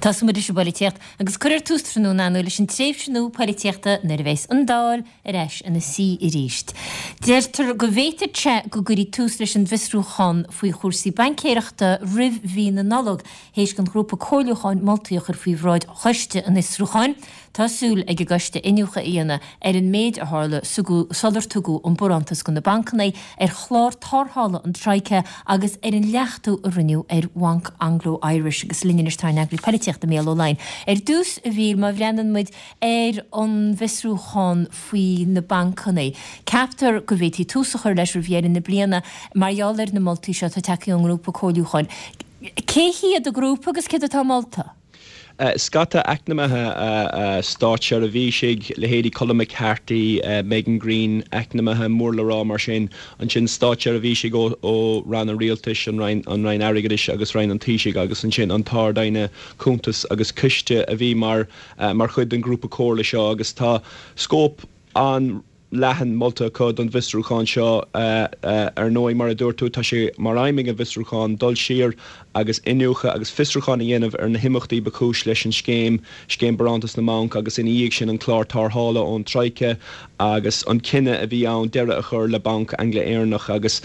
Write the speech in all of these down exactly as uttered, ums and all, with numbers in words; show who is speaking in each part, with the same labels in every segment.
Speaker 1: Tosóidh muid leis an bpolaitíocht agus cuirfear tús tráthnóna inniu leis an tréimhse nua polaitíochta nuair a bheas an Dáil ar ais ina suí arís. Deirtear go bhféadfadh sé go gcuirfí tús leis an bhfiosrúchán faoi chúrsaí baincéireachta roimh mhí na Nollag, théis don ghrúpa comhairliúcháin moltaí a chur faoi bhráid choiste an fhiosrúcháin. Tá súil ag an gcoiste iniúchadh a dhéanamh ar an méid a tharla sular tugadh an barántas do na bancanna, ar chlár tarrthála an Troika agus ar an leachtú a rinneadh ar Bhanc Anglo Irish. Agus linn anois tá ár n-eagraí polaitíochta Mícheál Ó Laighin. Ar dtús, a Mhíchíl, má bhreathnaíonn muid ar an bhfiosrúchán faoi na bancanna, ceaptar go bhféadfaí tús a chur leis roimh dheireadh na bliana mar gheall ar na moltaí seo atá tagtha ón ngrúpa comhairliúcháin. Cé hiad an grúpa agus céard atá molta?
Speaker 2: Scata eacnamaithe, státseirbhísigh, leithéidí Colm McCarthy, Megan Greene, eacnamaithe mór le rá mar sin, ansin státseirbhísigh ó ó ranna rialtais, an Roinn an Roinn Airgeadais agus Roinn an Taoisigh agus ansin an tArd-Aighne Cuntas agus Ciste a bhí mar mar chuid den ghrúpa comhairle seo agus tá scóip an leathan molta acu don bhfiosrúchán seo. Ar ndóigh, mar a dúirt tú, tá sé mar aidhm ag an bhfiosrúchán dul siar agus iniúchadh agus fiosrúchán a dhéanamh ar na himeachtaí ba chúis leis an scéim, Scéim Barántas na mBanc agus ina dhiaidh sin an clár tarrthála ón Troika agus an cinneadh a bhí ann deireadh a chur le Banc Angla-Éireannach agus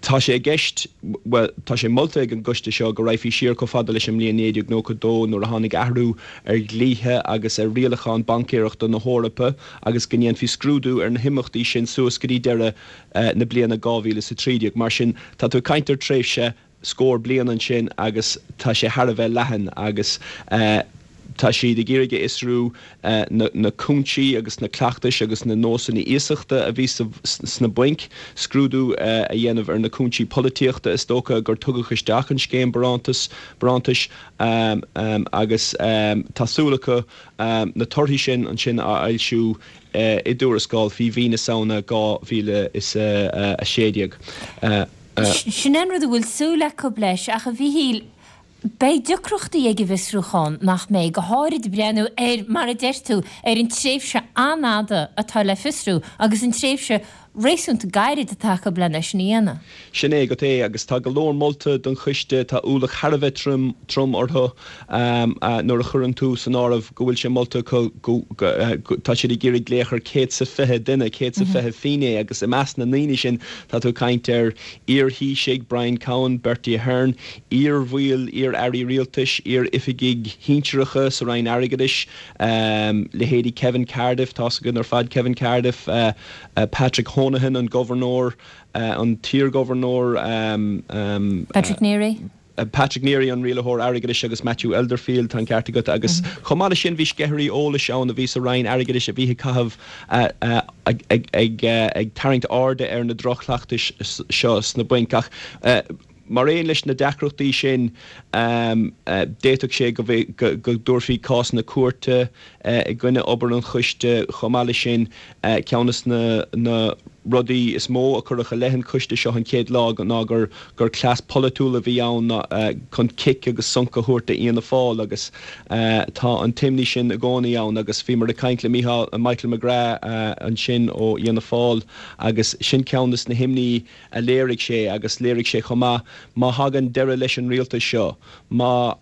Speaker 2: tá sé i gceist, bhuel, tá sé molta ag an gcoiste seo go raghfaí siar chomh fada leis an mbliain naoi déag nócha dó nuair a tháinig athrú ar dhlíthe agus ar rialacháin baincéireachta na hEorpa agus go ndéanfaí scrúdú ar na himeachtaí sin suas go dtí deireadh na bliana dhá mhíle is a trí déag. Mar sin, tá tú ag caint ar tréimhse scór bliain ansin agus tá sé thar a bheith leathan agus tá siad ag iarraidh a fhiosrú na cúinsí agus na cleachtais agus na nósanna iasachta a bhí sna bainc, scrúdú a dhéanamh ar na cúinsí polaitíochta is dócha gur tugadh isteach an scéim barántas, barántais agus tá súil acu na torthaí sin ansin a fhoilsiú i dtuarascáil faoi mhí na Samhna dhá mhíle is a sé déag.
Speaker 1: Sin an rud a bhfuil súil acu leis ach a Mhíchíl, beidh deacrachtaí ag an bhfiosrúchán, nach mbeidh, go háirid breathnú ar, mar a deir tú, ar an tréimhse an-fhada atá le fiosrú agus an tréimhse réasúnta gairid atá acu lena sin a dhéanamh.
Speaker 2: Sin é agat é agus tá go leor molta don choiste, tá ualach thar a bheith trom trom orthu nuair a chuireann tú san áireamh go bhfuil sé molta acu go tá siad ag iarraidh glaoch ar céad 's a fiche duine, céad 's a fiche finné agus i measc na ndaoine sin tá tú ag caint ar iar-Thaoisigh, Brian Cowen, Bertie Ahern, iar-bhaill, iar-airí rialtais, iar-oifigigh shinsearacha sa Roinn Airgeadais, leithéidí Kevin Cardiff, tá's againn ar fad Kevin Cardiff, Patrick Honohan, an Gobharnóir, an t-iarGhobharnóir.
Speaker 1: Patrick Neary.
Speaker 2: Patrick Neary, an Rialaitheoir Airgeadais agus Matthew Elderfield, tá an ceart agat, agus chomh maith leis sin bhí sceithirí eolais ann a bhí sa Roinn Airgeadais a bhí ag caitheamh ag tarraingt airde ar na droch-chleachtais seo sna bainc. Ach mar aon leis na deacrachtaí sin, d'fhéadfadh sé go dtabharfaí cásanna cúirte i gcoinne obair an choiste. Chomh maith leis sin, ceann de na rudaí is mó a cuireadh i leith an choiste seo an chéad lá ná gur gur cleas polaitiúil a bhí ann chun cic agus sonc a thabhairt d'Fhianna Fáil agus tá an t-imní sin i gcónaí ann agus bhíomar ag caint le Mícheál, Michael McGrath ansin ó Fhianna Fáil agus sin ceann de na himní a léirigh sé agus léirigh sé chomh maith má thagann deireadh leis an rialtas seo, má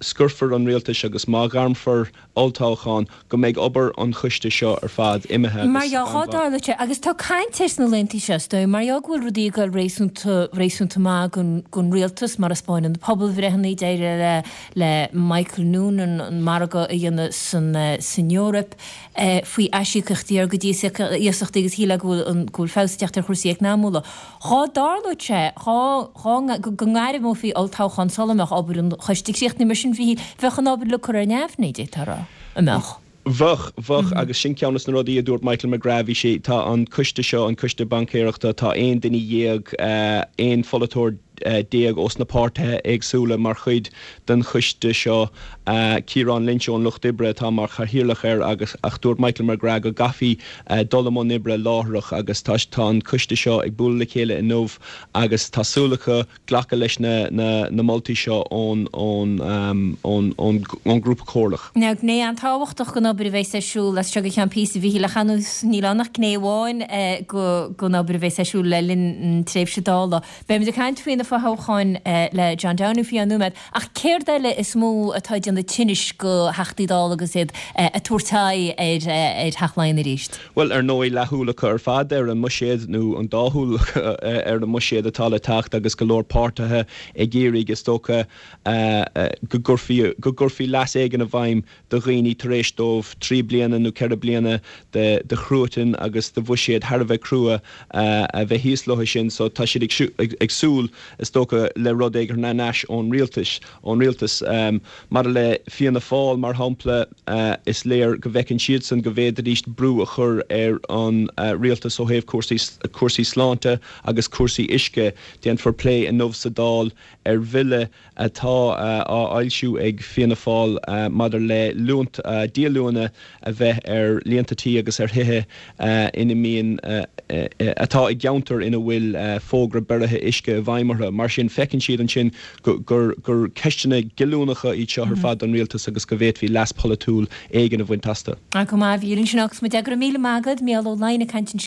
Speaker 2: scoirfear an rialtas agus má ghairmfear olltoghchán, go mbeidh obair an choiste seo ar fad imithe agus
Speaker 1: Mar dhea,
Speaker 2: gan mhaith.
Speaker 1: dtarlódh sé, agus tá caint air sna laethanta seo, is dóigh, mar dhea go bhfuil rudaí ag dul réasúnta, réasúnta maith don, don rialtas, mar a 'spáineann na pobalbhreitheanna, d'éirigh le, le Michael Noonan an margadh a dhéanamh san, san Eoraip faoi aisíocaíochtaí ár gcuid iasachtaí agus shílfeá go bhfuil an, go bhfuil feabhas ag teacht ar chúrsaí eacnamúla. Dhá dtarlódh sé, dhá, dhá, go ngairmeofaí olltoghchán sula mbeadh obair an choiste críochnaithe, mar sin, bhí, bheadh an obair le cur ar neamhní, d'fhéadfá a rá, an mbeadh?
Speaker 2: Bheadh, bheadh, agus sin ceann de na rudaí a dúirt Michael McGrath, bhí sé, tá an coiste seo, an coiste baincéireachta, tá aon duine dhéag, aon pholaiteoir déag ós na páirtithe éagsúla mar chuid den choiste seo. Ciarán Lynch ón Lucht Oibre atá mar chathaoirleach air agus ach dúirt Michael McGrath go gcaithfí dul i mbun oibre láithreach agus tá tá an coiste seo ag bualadh le chéile inniu agus tá súil acu glacadh leis na na na moltaí seo ón ón ón ón ón ngrúpa comhairleach.
Speaker 1: Now gné an-tábhachtach den obair a bheas ar siúl as seo go ceann píosa a Mhíchíl ach ar nós níl ann ach gné amháin den obair a bheas ar siúl le linn na tréimhse Dála. Beimid ag caint faoi na na fothoghcháin le John Downey faoi cheann nóiméad, ach céard eile is mó atá ag déanamh tinnis do Theachtaí Dála agus iad ag tabhairt aghaidh ar Theach Laighean arís?
Speaker 2: Bhuel, ar ndóigh, leathshúil acu ar fad ar an mbuiséad, nó an dá shúil acu ar an mbuiséad atá le teacht agus go leor páirtithe ag iarraidh, is dócha, go gcuirfí, go gcuirfí leas éigin i bhfeidhm do dhaoine tar éis dóibh trí bliana nó ceithre bliana de de chruatan agus de bhuiséad thar a bheith crua a bheith thíos leo sin. So tá siad ag ag súil, is dócha, le rud éigin thar n-ais ón rialtas, ón rialtas. Maidir le Fianna Fáil, mar shampla, is léir go bhfeiceann siadsan go bhféadfaidís brú a chur ar an rialtas ó thaobh cúrsaí cúrsaí sláinte agus cúrsaí uisce. Déanfar plé inniu sa Dáil ar bhille atá á fhoilsiú ag Fianna Fáil maidir le liúnt díolúine a bheith ar líonta tí agus ar thithe ina mbíonn atá i gceantair ina bhfuil fógra beirithe uisce i bhfeidhm orthu. Mar sin, feiceann siad ansin gur gur ceisteanna goilliúnacha iad seo ar fad don rialtas agus go bhféadfaí leas polaitiúil éigin a bhaint astu.
Speaker 1: Go maith, a Mhíchíl, ansin agus muid. Go raibh míle maith agat, Mícheál Ó Laighin ag caint ansin.